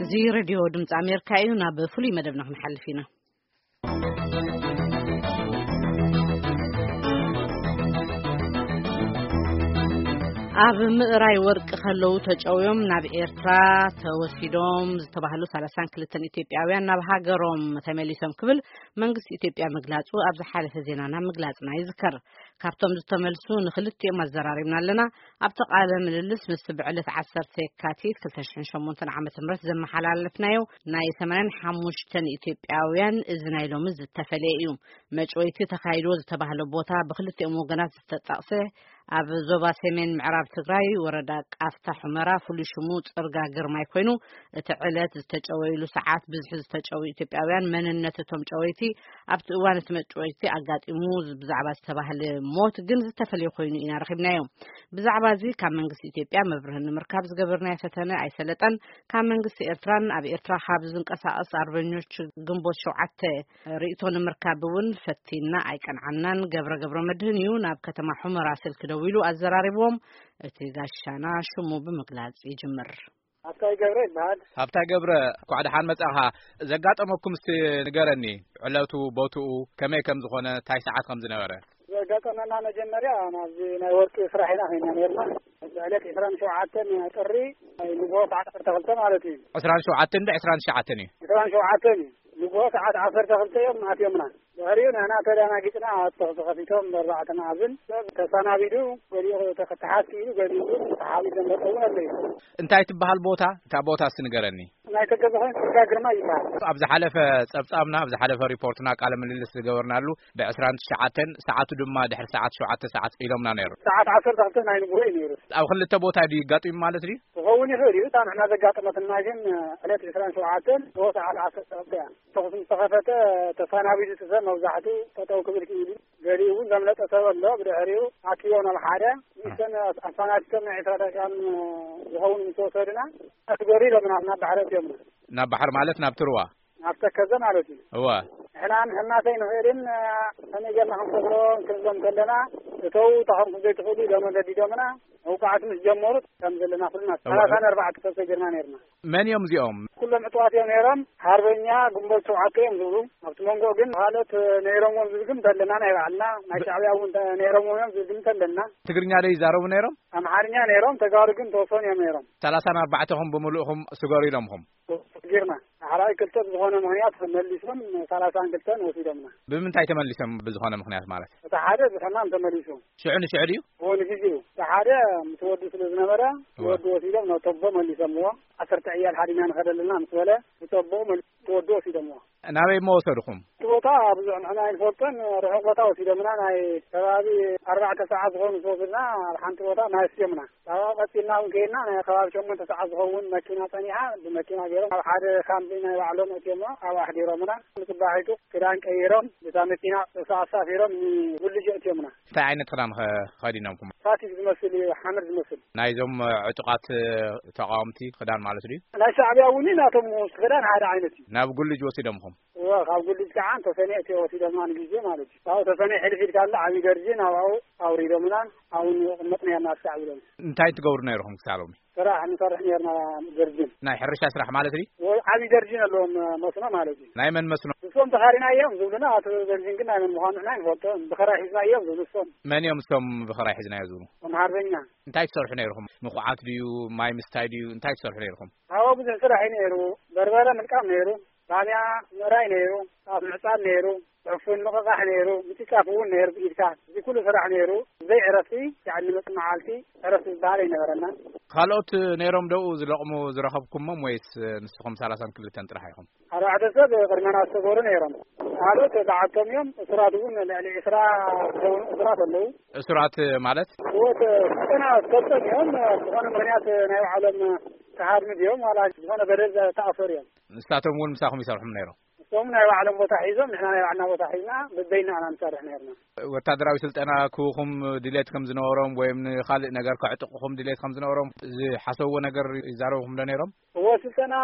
እዚ ሬድዮ ድምፂ ኣሜሪካ እዩ። ናብ ፍሉይ መደብና ክንሓልፍ ኢና። ኣብ ምእራይ ወርቂ ከለዉ ተጨውዮም ናብ ኤርትራ ተወሲዶም ዝተባህሉ ሰላሳን ክልተን ኢትዮጵያውያን ናብ ሃገሮም ተመሊሶም ክብል መንግስቲ ኢትዮጵያ ምግላጹ ኣብ ዝሓለፈ ዜናና ምግላጽና ይዝከር። ካብቶም ዝተመልሱ ንክልቲኦም ኣዘራሪብና ኣለና። ኣብቲ ቃለ ምልልስ ምስ ብዕለት ዓሰርተ የካቲት ክልተ ሽሕን ሸሞንተን ዓመተ ምህረት ዘመሓላለፍናዮ ናይ ሰማንያን ሓሙሽተን ኢትዮጵያውያን እዚ ናይ ሎሚ ዝተፈለየ እዩ። መጭወይቲ ተኻይድዎ ዝተባህለ ቦታ ብክልቲኦም ወገናት ዝተጠቕሰ ኣብ ዞባ ሰሜን ምዕራብ ትግራይ ወረዳ ቃፍታ ሑመራ ፍሉይ ሽሙ ጽርጋ ግርማይ ኮይኑ፣ እቲ ዕለት ዝተጨወይሉ ሰዓት ብዝሒ ዝተጨወዩ ኢትዮጵያውያን መንነት እቶም ጨወይቲ ኣብቲ እዋን እቲ መጭወይቲ ኣጋጢሙ ብዛዕባ ዝተባህለ ሞት ግን ዝተፈለየ ኮይኑ ኢና ረኺብናዮ። ብዛዕባ እዚ ካብ መንግስቲ ኢትዮጵያ መብርሂ ንምርካብ ዝገበርናዮ ፈተነ ኣይሰለጠን። ካብ መንግስቲ ኤርትራን ኣብ ኤርትራ ካብ ዝንቀሳቐስ ኣርበኞች ግንቦት ሸውዓተ ርእይቶ ንምርካብ እውን ፈቲና ኣይቀንዓናን። ገብረ ገብረ መድህን እዩ ናብ ከተማ ሑመራ ስልኪ ደዊሉ ኣዘራሪብዎም። እቲ ጋሻና ሽሙ ብምግላጽ ይጅምር። ኣብታይ ገብረ ይበሃል። ኣብታይ ገብረ፣ እንኳዕ ደሓን መጻኻ። ዘጋጠመኩም እስቲ ንገረኒ፣ ዕለቱ፣ ቦትኡ፣ ከመይ ከም ዝኾነ፣ እንታይ ሰዓት ከም ዝነበረ? ዘጋጠመና መጀመርያ ናብዚ ናይ ወርቂ ስራሕ ኢና ኸይና ነርና። ዕለት ዕስራን ሸውዓተን ጥሪ ንግሆ ሰዓት ዓሰርተ ክልተ ማለት እዩ። ዕስራን ሸውዓተን ዶ ዕስራን ትሽዓተን እዩ? ዕስራን ሸውዓተን እዩ። ንግሆ ሰዓት ዓሰርተ ክልተ እዮም ኣትዮምና። ድሕሪኡ ንሕና ተደናጊጽና፣ ተኹሲ ከፊቶም ብኣርባዕተ መኣዝን ሰብ ተሰናቢዱ፣ ገሊኡ ተተሓዝ ክኢሉ፣ ገሊኡ እውን ተሓቢኡ ዘምለጠ እውን ኣሎ እዩ። እንታይ ትበሃል ቦታ? እታ ቦታ እስቲ ንገረኒ። ናይ ተገዘ ኮይኑ ጽርጋ ግርማ ይበሃል። ኣብ ዝሓለፈ ጸብጻብና፣ ኣብ ዝሓለፈ ሪፖርትና፣ ቃለ ምልልስ ዝገበርናሉ፣ ብ ዕስራን ትሽዓተን፣ ሰዓቱ ድማ ድሕሪ ሰዓት ሸውዓተ ሰዓት ኢሎምና ነይሩ። ሰዓት ዓሰርተ ክልተ ናይ ንግሆ እዩ ነይሩ። ኣብ ክልተ ቦታ ድዩ ይጋጥም ማለት ድዩ? ክኸውን ይኽእል እዩ። እታ ንሕና ዘጋጠመትና ግን፣ ዕለት ዕስራን ሸውዓተን፣ ንግሆ ሰዓት ዓሰርተ ክልተ እያ። ተኹሲ ምስ ተኸፈተ፣ ተሰናቢዱ እቲ ሰብ መብዛሕቱ ጠጠው ክብል ክኢሉ፣ ገሊኡ እውን ዘምለጠ ሰብ ኣሎ። ብድሕሪኡ ኣኪቦ ናብ ሓደ፣ ንሰን ኣሰናዲቶም ናይ ዕስራ ደቂቃን ዝኸውን ምስ ወሰዱና፣ ኣትገሩ ኢሎምና፣ ናብ ባሕሪ ኣትዮምና። ናብ ባሕሪ ማለት ናብ ትርዋ? ናብ ተከዘ ማለት እዩ። እወ። ንሕና ንሕናሰ ኣይንኽእልን፣ ከመይ ጌርና ክንሰግሮ ክንብሎም ከለና፣ እተው፣ ተኸምኩም ዘይትኽእሉ ኢሎም ገዲዶምና። መውቃዕቲ ምስ ጀመሩ ከም ዘለና ኩልና እወ። ሰላሳን ኣርባዕተ ሰብ ሰጊርና ነርና። መን እዮም እዚኦም? ኩሎም ዕጡዋት እዮም ነይሮም። ሓርበኛ ግንቦት ሸውዓተ እዮም ዝብሉ። ኣብቲ መንጎ ግን ካልኦት ነይሮምዎም ዝብል ግን ተለና፣ ናይ ባዕልና ናይ ብ- ሻዕብያ እውን ተ-፣ ነይሮምዎም እዮም ዝብል ግን ተለና። ትግርኛ ዶ ይዛረቡ ነይሮም? ኣምሓርኛ ነይሮም፣ ተጋሩ ግን ተወሰኑ እዮም ነይሮም። ሰላሳን ኣርባዕተኹም ብምሉእኹም ስገሩ ኢሎምኹም? ጌርና። ዳሕራይ ክልተ ብዝኾነ ምኽንያት መሊሶም ሰላሳን ክልተን ወሲዶምና። ብምንታይ ተመሊሶም ብዝኾነ ምኽንያት ማለት? እቲ ሓደ ብሕማም ተመሊሱ። ሽዑ ንሽዑ ድዩ? እዎ፣ ንግዜኡ። እቲ ሓደ ምስ ወዱ ስለ ዝነበረ፣ እወ። ወዱ ወሲዶም ናብ ቶቦ መሊሶምዎ። ዓሰርተ ዕያል ሓዲና ንኸደልና ምስ በለ፣ ብጸቦ መሊሱ ወዱ ወሲዶምዎ። ናበይ እሞ ወሰድኹም? እቲ ቦታ ብዙሕ ንሕና ኣይንፈልጦን፣ ርሑቕ ቦታ ወሲዶምና። ናይ ከባቢ ኣርባዕተ ሰዓት ዝኾኑ ዝወስድና፣ ኣብ ሓንቲ ቦታ ማይ ኣስትዮምና። ካብኣ ቀጺልና እውን ከይድና፣ ናይ ከባቢ ሸሞንተ ሰዓት ዝኸውን መኪና ጸኒሓ፣ ብመኪና ገይሮም ኣብ ሓደ ካምፕ ናይ ባዕሎም ኣእትዮሞ፣ ኣብኡ ኣሕዲሮምና። ንጽባሒቱ ክዳን ቀይሮም፣ ብታ መኪና ኣሳፊሮም ንጉልጅ ኣእትዮምና። እንታይ ዓይነት ክዳን ኸ-፣ ኸዲኖምኩም? ፋቲግ ዝመስል እዩ፣ ሓመድ ዝመስል። ናይዞም ዕጡቓት ተቓወምቲ ክዳን ማለት ድዩ? ናይ ሻዕብያ እውን ናቶም ክዳን ሓደ ዓይነት እዩ። ናብ ጉልጅ ወሲዶምኹም? እወ፣ ካብ ጉልጅ ከዓ ተሰኔ እቲ ወሲዶምና ንግዜ ማለት እዩ። ካብኡ ተሰኔ ሕልፍ ኢልካ ኣሎ ዓብዪ ደርጅን ኣብኡ ኣውሪዶምና፣ ኣብኡ ንቕመጥ ነርና እስካዕ ኢሎም። እንታይ ትገብሩ ነይርኹም ክሳብ ሎሚ? ስራሕ ንሰርሕ ነርና ደርጅን። ናይ ሕርሻ ስራሕ ማለት ድዩ? እወ፣ ዓብዪ ደርጅን ኣለዎም መስኖ ማለት እዩ። ናይ መን መስኖ? ንሶም ተኻሪና እዮም ዝብሉና፣ ኣቶ ደርጅን ግን ናይ መን ምዃኑ ንሕና ኣይንፈልጦን። ብኸራይ ሒዝና እዮም ዝብሉ ንሶም። መን እዮም እሶም ብኸራይ ሒዝናዮ ዝብሉ? እቶም ሓርበኛ። እንታይ ትሰርሑ ነይርኹም? ንኹዓት ድዩ? ማይ ምስታይ ድዩ? እንታይ ትሰርሑ ነይርኹም? ኣብኡ ብዙሕ ስራሕ እዩ ነይሩ። በርበረ ምልቃም ነይሩ። ባንያ ምእራይ ነይሩ። ጣፍ ምዕጻድ ነይሩ። ዕፉን ምቕቓሕ ነይሩ። ምጭጫፍ እውን ነይሩ ብኢድካ። እዚ ኩሉ ስራሕ ነይሩ። ብዘይ ዕረፍቲ፣ ያዕኒ መጽ መዓልቲ ዕረፍቲ ዝበሃል ኣይነበረናን። ካልኦት ነይሮም ደኡ ዝለቕሙ ዝረኸብኩሞም ወይስ ንስኹም ሰላሳን ክልተን ጥራሕ ኢኹም? ኣርባዕተ ሰብ ቅድመና ዝተገሩ ነይሮም። ካልኦት ተዓብቶም እዮም። እሱራት እውን ልዕሊ ዕስራ ዝኾኑ እሱራት ኣለዉ። እሱራት ማለት? ህይወት ስልጠና ዝሰልጠኑ እዮም። ዝኾነ ምኽንያት ናይ ባዕሎም ተሃድሚ ድዮም ዋላ ዝኾነ በደል ዝተኣሰሩ እዮም። ንሳቶም እውን ምሳኹም ይሰርሑም ነይሮም? ንሶም ናይ ባዕሎም ቦታ ሒዞም፣ ንሕና ናይ ባዕልና ቦታ ሒዝና፣ በበይና ኢና ንሰርሕ ነይርና። ወታደራዊ ስልጠና ክህቡኹም ድሌት ከም ዝነበሮም ወይም ንኻልእ ነገር ከዕጥቑኹም ድሌት ከም ዝነበሮም ዝሓሰብዎ ነገር ይዛረቡኹም ዶ ነይሮም? እወ፣ ስልጠና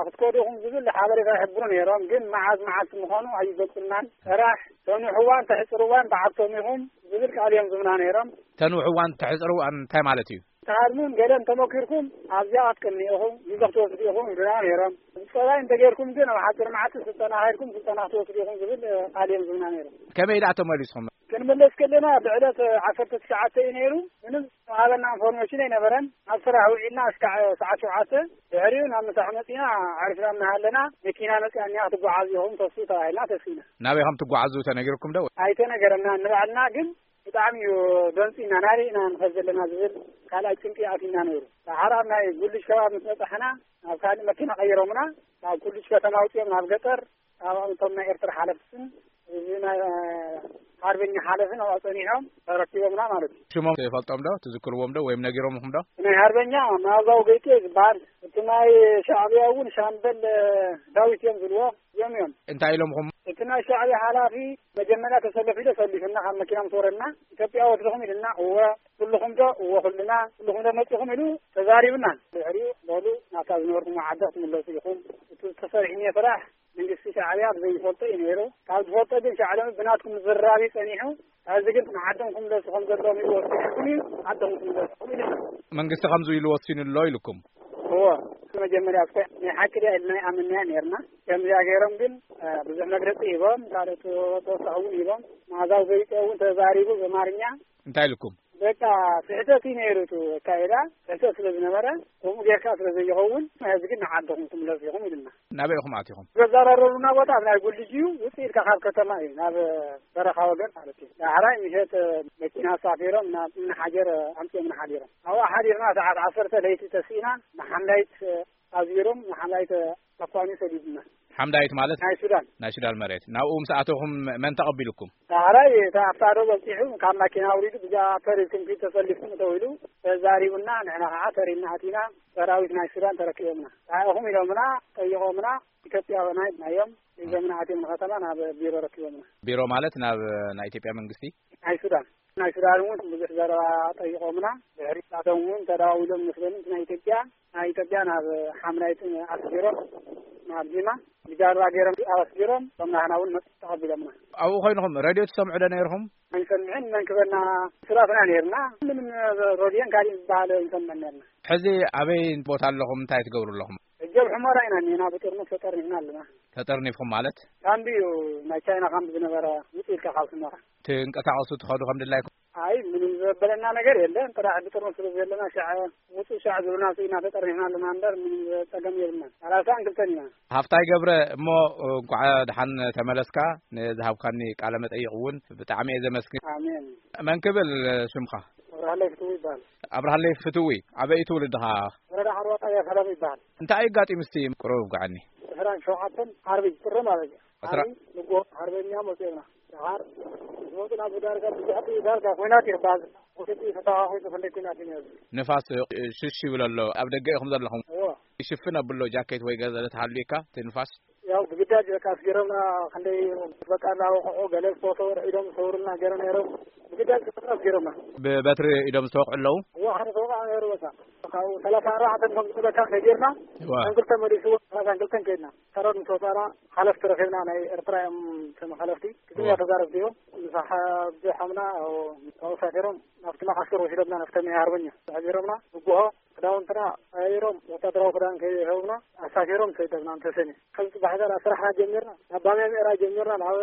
ክትከዱ ኢኹም ዝብል ሓበሬታ ይሕብሩ ነይሮም፣ ግን መዓዝ መዓልቲ ምዃኑ ኣይገልጹልናን። ስራሕ ተንውሕዋን ተሕጽርዋን ብዓብቶም ኢኹም ዝብል ቃል እዮም ዝብና ነይሮም። ተንውሕዋን ተሕጽርዋን እንታይ ማለት እዩ? ትሃድሙን ገለን ተመኪርኩም ኣብዚኣ ክትቅኒ ኢኹም፣ ግዜ ክትወስዱ ኢኹም ይብሉና ነይሮም። ጠባይ እንተገይርኩም ግን ኣብ ሓፂር መዓልቲ ስልጠና ከይድኩም ስልጠና ክትወስዱ ኢኹም ዝብል ቃል እዮም ዝብና ነይሩ። ከመይ ደኣ ተመሊስኹም? ክንምለስ ከለና ብዕለት ዓሰርተ ትሽዓተ እዩ ነይሩ። ምንም ዝሃበና ኢንፎርሜሽን ኣይነበረን። ኣብ ስራሕ ውዒልና እስካዕ ሰዓት ሸውዓተ፣ ድሕሪኡ ናብ ምሳሕ መፂና፣ ኣዕሪፍና እናሃለና መኪና መፂኣ እኒኣ ክትጓዓዝ ኢኹም ተስኡ ተባሂልና ተስኢና። ናበይ ከም ትጓዓዙ ተነጊርኩም ዶ? ኣይተነገረና። ንባዕልና ግን ብጣዕሚ እዩ ደንፂና። ናበይ ኢና ንኸድ ዘለና ዝብል ካልኣይ ጭንቂ ኣቲና ነይሩ። ዳሓር ኣብ ናይ ጉልሽ ከባቢ ምስ በፃሕና፣ ናብ ካልእ መኪና ቀይሮምና። ካብ ጉልሽ ከተማ ኣውፅኦም ናብ ገጠር፣ ኣብኦም እቶም ናይ ኤርትራ ሓለፍትን እዚ ናይ ሓርበኛ ሓለፍን ኣብኣ ፀኒሖም ተረኪቦምና ማለት እዩ። ሽሞም ትፈልጦም ዶ? ትዝክርዎም ዶ ወይም ነጊሮምኹም ዶ? ናይ ሓርበኛ መዓዛዊ ገይቴ ዝበሃል፣ እቲ ናይ ሻዕብያ እውን ሻምበል ዳዊት እዮም ዝብልዎ፣ እዮም እዮም። እንታይ ኢሎምኹም? እቲ ናይ ሻዕብያ ሓላፊ መጀመርያ ተሰለፍ ኢሉ ሰሊፉና፣ ካብ መኪና ምስ ወረድና፣ "ኢትዮጵያ ወስድኹም?" ኢሉና። "እወ። ኩልኹም ዶ?" "እወ፣ ኩልና። ኩልኹም ዶ መጺኹም?" ኢሉ ተዛሪቡና። ድሕሪኡ፣ "በሉ፣ ናብታ ዝነበርኩሞ ዓዲ ክትምለሱ ኢኹም። እቲ ዝተሰርሐ ስራሕ መንግስቲ ሻዕብያ ብዘይፈልጦ እዩ ነይሩ። ካብ ዝፈልጦ ግን ሻዕብያ ብናትኩም ዝራብ እዩ ጸኒሑ። ሕዚ ግን ንዓዶም ክምለሱ ከም ዘለዎም እዩ ወሲንኩም እዩ፣ ዓዶም ክምለሱ ኢሉና። መንግስቲ ከምዚ ኢሉ ወሲኑ ኣሎ ኢልኩም? እዎ፣ መጀመርያ እስከ ናይ ሓቂ ድያ ኢልና ኣይኣመንናያ ነይርና። ከምዚኣ ገይሮም ግን፣ እ፣ ብዙሕ መግለጺ ሂቦም፣ ካልኦት ተወሳኺ እውን ሂቦም። መዓዛዊ ገይጦ እውን ተዛሪቡ ብኣማርኛ። እንታይ ኢልኩም? በቃ ስሕተት እዩ ነይሩ፣ እቲ ኣካይዳ ስሕተት ስለ ዝነበረ፣ ከምኡ ጌርካ ስለ ዘይኸውን፣ ሕዚ ግን ንዓድኹም ትምለሱ ኢኹም ኢሉና። ናበይ ኢኹም ኣቲኹም? ዘዘራረቡና ቦታ ኣብ ናይ ጉልጅ እዩ፣ ውፅእ ኢልካ ካብ ከተማ እዩ፣ ናብ በረኻ ወገን ማለት እዩ። ዳሕራይ ምሸት መኪና ኣሳፊሮም ናብ እምኒ ሓጀር ኣምፂኦምና ሓዲሮም። ኣብኡ ሓዲርና ሰዓት ዓሰርተ ለይቲ ተስኢና፣ ንሓምዳይት ኣዝቢሮም፣ ንሓምዳይት ኣኳኒ ሰዲዱና። ሓምዳይት ማለት? ናይ ሱዳን። ናይ ሱዳን መሬት። ናብኡ ምስ ኣተኹም መን ተቐቢልኩም? ዳሕራይ እቲ ኣብታ ዶ በፂሑ ካብ ማኪና ኣውሪዱ፣ ብዛ ተሪፍኩም ኪድ ተሰሊፍኩም ተው ኢሉ ተዛሪቡና፣ ንሕና ከዓ ተሪና ኣቲና፣ ሰራዊት ናይ ሱዳን ተረኪቦምና። እንታይ ኢኹም ኢሎምና፣ ጠይቖምና፣ ኢትዮጵያውያን ኢልናዮም፣ ሒዞምና ኣትዮም ንከተማ ናብ ቢሮ ረኪቦምና። ቢሮ ማለት ናብ ናይ ኢትዮጵያ መንግስቲ? ናይ ሱዳን። ናይ ሱዳን እውን ብዙሕ ዘረባ ጠይቖምና፣ ድሕሪ ናቶም እውን ተደዋዊሎም መስለኒ፣ እቲ ናይ ኢትዮጵያ፣ ናይ ኢትዮጵያ ናብ ሓምናይትን ኣስጊሮም፣ ናብ ጂማ ብጃልባ ገይሮም ኣስጊሮም፣ እቶም ናህና እውን መጽ ተቐቢሎምና። ኣብኡ ኮይንኹም ሬድዮ ትሰምዑ ዶ ነይርኹም? ኣይንሰምዕን፣ መን ክበና ስራፍና ነይርና። ምንም ሬድዮን ካልእ ዝበሃል ኣይንሰምዕን ነይርና። ሕዚ ኣበይ ቦታ ኣለኹም? እንታይ ትገብሩ ኣለኹም? ሕጂ ኣብ ሑመራ ኢና እኒና፣ ብጥርሙስ ተጠርኒፍና ኣለና። ተጠርኒፍኩም ማለት? ካምቢ እዩ፣ ናይ ቻይና ካምቢ ዝነበረ፣ ውፅእ ኢልካ ካብ ሑመራ። ትንቀሳቐሱ ትኸዱ ከም ድላይኩም? ኣይ፣ ምንም ዘበለና ነገር የለን። ጥራሕ ብጥርሙስ ስለ ዘለና፣ ሻዕ ውፅእ ሻዕ ዝብሉና፣ ስኢና ተጠርኒፍና ኣለና እምበር፣ ምንም ጸገም የብልናን። ሰላሳን ክልተን ኢና። ሃፍታይ ገብረ፣ እሞ እንኳዕ ደሓን ተመለስካ። ንዝሃብካኒ ቃለ መጠይቕ እውን ብጣዕሚ እየ ዘመስግን። ኣሜን። መን ክብል ሽምኻ? ኣብርሃለይ ፍትዊ ይበሃል። ኣብርሃለይ ፍትዊ፣ ኣበይ እዩ ትውልድኻ? ወረዳ ዓርዋ ጣብያ ሰላም ይበሃል። እንታይ ኣጋጢሙ እስቲ ቁሩብ ኣውግዓኒ። ዕስራን ሸውዓተን ዓርቢ ጥሪ ማለት እዩ። ዕስራ ዓርቢ ንጎ ሓርበኛ መፅኦምና። ደሓር ዝመፁ ናብ ዳርጋ ብዙሕ ጥይት ዳርጋ ኲናት እዩ ባዝ። ወደ ጥይት ተተኻኺሱ ክንደይ ኲናት እዩ ነይሩ። ንፋስ ሽሽ ይብል ኣሎ። ኣብ ደገ ኢኹም ዘለኹም? እዎ። ይሽፍን ኣብሎ ጃኬት ወይ ገለ ተሃልዩካ እቲ ንፋስ? ያው ብግዳጅ በቃ ኣስጊሮምና፣ ክንደይ በቃ እናወቕዑ፣ ገለ ዝተወሰወ ኢዶም ዝተወሩልና ገይሮም ነይሮም። ብግዳጅ በቃ ኣስጊሮምና። ብበትሪ ኢዶም ዝተወቕዑ ኣለዉ? እዋ፣ ሓደ ዝተወቕዐ ነይሩ በቃ። ካብኡ ሰላሳ ኣርባዕተ ከም ዝብለካ ከይድና፣ እዋ። ሰላሳን ክልተ መሊስዎ፣ ሰላሳን ክልተን ከይድና። ሰራዊት ምስ ወፃእና፣ ሓለፍቲ ረኺብና፣ ናይ ኤርትራ እዮም እቶም ሓለፍቲ። ትግርኛ እዋ። ተዛረብቲ እዮም። ምሳሕ ብሖምና፣ ካብኡ ሳፊሮም ናብቲ መዓስከር ወሲዶምና፣ ናብቲ ናይ ሓርበኛ። ሓቢሮምና፣ ንግሆ ክዳውንትና ቀያይሮም፣ ወታደራዊ ክዳን ከይህቡና ኣሳፊሮም ሰደብና ንተሰንዩ። ከም ጽባሕ ዘርኣ ስራሕና ጀሚርና። ናብ ባምያ ምእራይ ጀሚርና፣ ናብ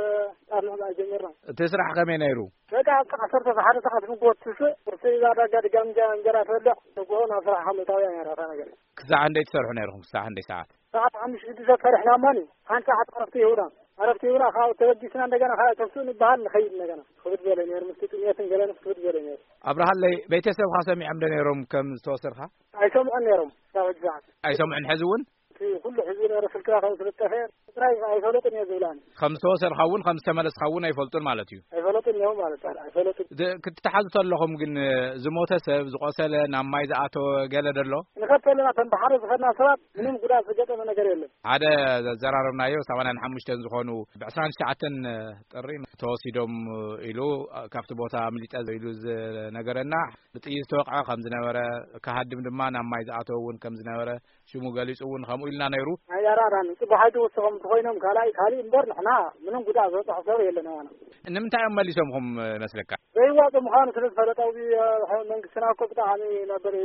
ጣፍ ምዕባይ ጀሚርና። እቲ ስራሕ ከመይ ነይሩ? በቃ፣ ኣብቲ ዓሰርተ ሰዓት ንግሆ ትስእ፣ ቁርሲ ይዛ ዳጋ ድጋም እንጀ-፣ እንጀራ ትበልዕ፣ ንግሆ ናብ ስራሕ ከም እታውያ ነይራ እታ ነገር። ክሳዕ ክንደይ ትሰርሑ ነይርኹም? ክሳዕ ክንደይ ሰዓት? ሰዓት ሓሙሽተ ሽዱሽተ ሰሪሕና እማኒ፣ ሓንቲ ሰዓት ዕረፍቲ ይህቡና። ዕረፍቲ ይህቡና፣ ካብኡ ተበጊስና እንደገና፣ ካብ ተስኡ ንበሃል ንኸይድ እንደገና። ክብድ ዝበለ ነይሩ፣ ምስቲ ጥሜትን ገለን ክብድ ዝበለ ነይሩ። ኣብርሃለይ፣ ቤተሰብኻ ሰሚዖም ዶ ነይሮም ከም ዝተወሰድካ? ኣይሰምዑን ነይሮም፣ ክሳብ ሕጂ ሰዓት። ኣይሰምዑን ሕዚ እውን? እቲ ኩሉ ሕዝቢ ነይሩ ስልክና ከም ዝተጠፍኤ፣ ጥራይ ኣይፈለጡን እየ ዝብላኒ። ከም ዝተወሰድካ እውን ከም ዝተመለስካ እውን ኣይፈልጡን ማለት እዩ? ኣይፈለጡን እዮም ማለት እዩ፣ ኣይፈለጡን። ዝ-፣ ክትተሓዙ ተለኹም ግን፣ ዝሞተ ሰብ፣ ዝቆሰለ፣ ናብ ማይ ዝኣተወ ገለ ዶ ኣሎ? ንኸድ ተለና፣ እቶም ብሓደ ዝኸድና ሰባት ምንም ጉዳት ዝገጠመ ነገር የለን። ሓደ ዘዘራረብናዮ ሰማንያን ሓሙሽተን ዝኾኑ ብዕስራን ትሽዓተን ጥሪ ተወሲዶም ኢሉ ካብቲ ቦታ ኣምሊጠ ኢሉ ዝነገረና፣ ብጥይት ዝተወቕዐ ከም ዝነበረ፣ ክሃድም ድማ ናብ ማይ ዝኣተወ እውን ከም ዝነበረ ሽሙ ገሊጹ እውን ከምኡ ኢልና ነይሩ። ኣይ፣ ኣራዳን ጽቡቕ ሓይሊ ወሰኹም። ኮይኖም ካልኣይ ካልእ እምበር ንሕና ምንም ጉዳእ ዝበፅሖ ሰብ የለን ኣባና። ንምንታይ እዮም መሊሶምኹም መስለካ? ዘይዋፁ ምዃኑ ስለ ዝፈለጠ ኣብዚ መንግስትና እኮ ብጣዕሚ ነበር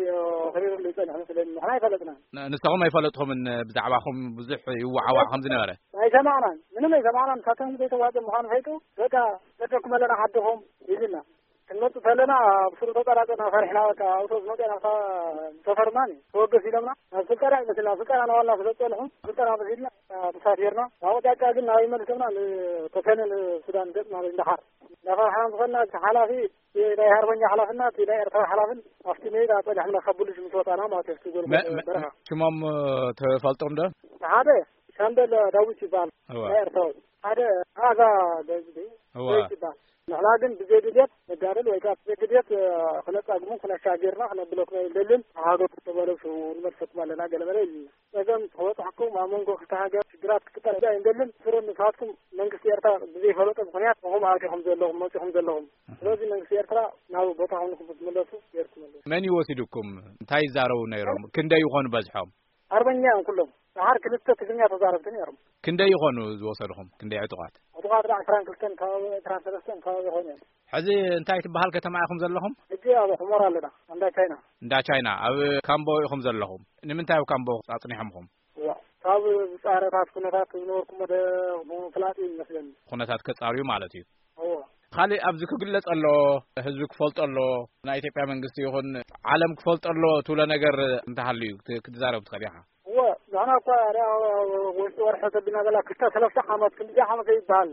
ክሪርሉ ይፀንሕ መስለኒ። ንሕና ኣይፈለጥናን። ንስኹም ኣይፈለጥኹምን ብዛዕባኹም ብዙሕ ይወዓዋዕ ከም ዝነበረ? ኣይሰማዕናን፣ ምንም ኣይሰማዕናን። ንሳቶም ዘይተዋፀ ምዃኑ ፈይጡ በቃ ሰደኩም ኣለና ዓድኹም ይብልና። ክንመጽእ ከለና ኣብ ስሩ ተጠራጠና ፈሪሕና። በቃ ኣብቶስ መጤና ተፈርማን ተወገስ ኢሎምና ናብ ስልጠና ይመስልና። ስልጠና ናዋልና ስለ ዝጸንሑ ስልጠና መሲልና ተሳፊርና። ናብ ጫካ ግን ናብ ይመልሰና። ንተፈነ ንሱዳን ገጽ ማለት እንዳሓር እንዳፈርሕና ዝኾንና። እቲ ሓላፊ ናይ ሃርበኛ ሓላፍና እቲ ናይ ኤርትራ ሓላፍን ኣብቲ ሜዳ ጸኒሕና ካብ ብሉሽ ምስ ወጣና ማለት እዩ። በረኻ ሽሞም ትፈልጦም ዶ? ሓደ ሻምበል ዳዊት ይበሃል። ናይ ኤርትራዊ ሓደ ኣዛ ዳዊት ይበሃል። ንሕና ግን ብዘይ ድልየት ነጋደል ወይ ከዓ ብዘይ ድልየት ክነጻግሙ ክነሻገርና ክነብለኩም ኣይንደልን። ሃገር ተበለሱ ንመልሰኩም ኣለና ገለመለ ኢልና። ጸገም ተበጻሕኩም ኣብ መንጎ ክልተ ሃገር ሽግራት ክፍጠር ኣይንደልን። ስሩ ንስኻትኩም መንግስቲ ኤርትራ ብዘይፈለጦ ምክንያት ንኹም ኣቲኹም ዘለኹም መጺኹም ዘለኹም። ስለዚ መንግስቲ ኤርትራ ናብ ቦታኹም ንክትመለሱ ጌርኩም ኣለኹም። መን እዩ ወሲዱኩም? እንታይ ይዛረቡ ነይሮም? ክንደይ ይኾኑ በዝሖም? ኣርበኛ እዮም ኩሎም። ደሓር ክልተ ትግርኛ ተዛረብቲ ነይሮም። ክንደይ ይኾኑ ዝወሰድኹም? ክንደይ ዕጡቓት? ዕጡቓት ዳ ዕስራን ክልተን ከባቢ ዕስራን ሰለስተን ከባቢ ይኾኑ እዮም። ሕዚ እንታይ ትበሃል ከተማ ኢኹም ዘለኹም? ሕጂ ኣብ ሑመራ ኣለና። እንዳ ቻይና። እንዳ ቻይና ኣብ ካምቦ ኢኹም ዘለኹም። ንምንታይ ኣብ ካምቦ ኣጽኒሖምኹም? እዋ፣ ካብ ዝጻረታት ኩነታት ዝነበርኩም ወደ ምፍላጥ እዩ ይመስለኒ። ኩነታት ከጻርዩ ማለት እዩ። እዎ። ካልእ ኣብዚ ክግለጽ ኣሎ፣ ህዝቢ ክፈልጦ ኣሎ፣ ናይ ኢትዮጵያ መንግስቲ ይኹን ዓለም ክፈልጦ ኣሎ ትብሎ ነገር እንተሃልዩ ክት-፣ ክትዛረብ ትኽእል ኢኻ። እወ፣ ንሕና እኳ ርኣ ውሽጢ ወርሒ ተቢና በላ ክልተ ሰለስተ ዓመት ክንዲ ዓመት ይበሃል።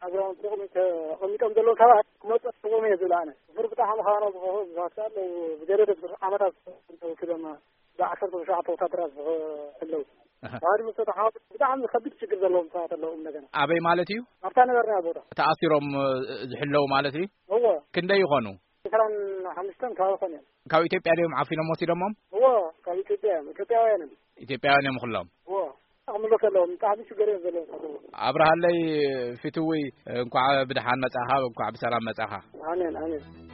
ኣግራውንቲ ተቐሚጦም ዘለዉ ሰባት ክመፁ ኣለዎም እየ ዝብል ኣነ። ብር ብጣዕሚ ከዓ ነው ዝኸፍኡ ብዙሓት ኣለዉ። ብገደደ ብዙሕ ዓመታት ክደማ ብዓሰርተ ትሽዓተ ወታደራት ዝኸ-፣ ኣለዉ። ኣሃ። ባህሪ ምስ ተተሓወሱ ብጣዕሚ ከቢድ ችግር ዘለዎም ሰባት ኣለዉ። እንደገና ኣበይ ማለት እዩ? ኣብታ ነበርና ቦታ። ተኣሲሮም፣ እ፣ ዝሕለዉ ማለት እዩ? እወ። ክንደይ ይኾኑ? ዕስራን ሓሙሽተን ከባቢ ኾኑ እዮም። ካብ ኢትዮጵያ ድዮም ዓፊኖም ወሲዶሞም? እወ፣ ካብ ኢትዮጵያ እዮም። ኢትዮጵያውያን እዮም። ኢትዮጵያውያን እዮም ኩሎም? እወ። ክምለሱ ኣለዎም። ብጣዕሚ ችግር እዮም ዘለዎም። ኣብርሃለይ ፊትውይ፣ እንኳዕ ብደሓን መጻኻ፣ እንኳዕ ብሰላም መጻኻ። ኣሜን፣ ኣሜን።